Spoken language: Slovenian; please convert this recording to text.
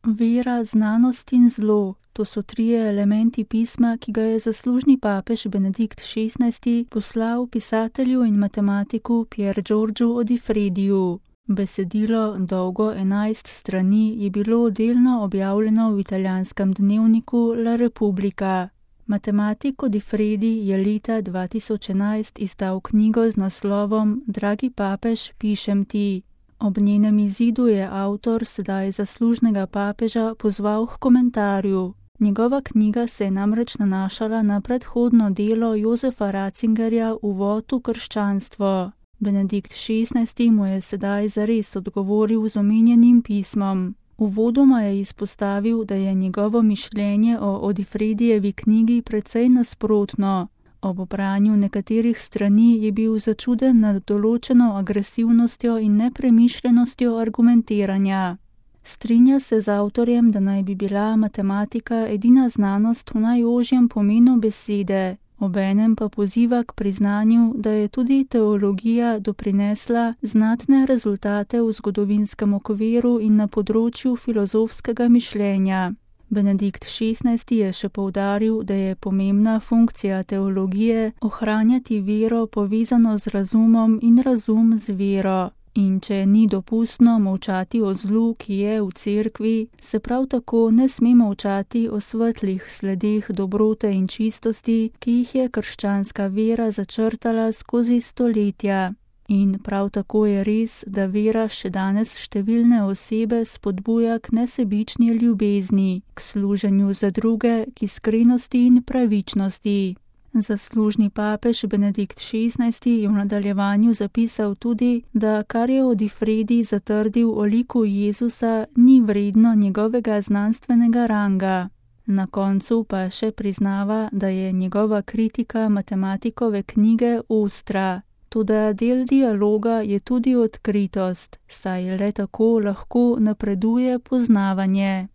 Vera, znanost in zlo. To so trije elementi pisma, ki ga je zaslužni papež Benedikt XVI poslal pisatelju in matematiku Pier Giorgiu Odifrediju. Besedilo, dolgo 11 strani, je bilo delno objavljeno v italijanskem dnevniku La Repubblica. Matematik Odifredi je leta 2011 izdal knjigo z naslovom Dragi papež, pišem ti. Ob njenem izidu je avtor sedaj zaslužnega papeža pozval k komentarju. Njegova knjiga se je namreč nanašala na predhodno delo Josefa Ratzingerja Uvod v krščanstvo. Benedikt XVI mu je sedaj zares odgovoril z omenjenim pismom. Uvodoma je izpostavil, da je njegovo mišljenje o Odifredijevi knjigi precej nasprotno. Ob branju nekaterih strani je bil začuden nad določeno agresivnostjo in nepremišljenostjo argumentiranja. Strinja se z avtorjem, da naj bi bila matematika edina znanost v najožjem pomenu besede, obenem pa poziva k priznanju, da je tudi teologija doprinesla znatne rezultate v zgodovinskem okviru in na področju filozofskega mišljenja. Benedikt XVI je še poudaril, da je pomembna funkcija teologije ohranjati vero povezano z razumom in razum z vero. In če ni dopustno molčati o zlu, ki je v cerkvi, se prav tako ne sme molčati o svetlih sledeh dobrote in čistosti, ki jih je krščanska vera začrtala skozi stoletja. In prav tako je res, da vera še danes številne osebe spodbuja k nesebični ljubezni, k služenju za druge, k iskrenosti in pravičnosti. Zaslužni papež Benedikt XVI je v nadaljevanju zapisal tudi, da kar je Odifredi zatrdil o liku Jezusa, ni vredno njegovega znanstvenega ranga. Na koncu pa še priznava, da je njegova kritika matematikove knjige ostra. Toda del dialoga je tudi odkritost, saj le tako lahko napreduje poznavanje.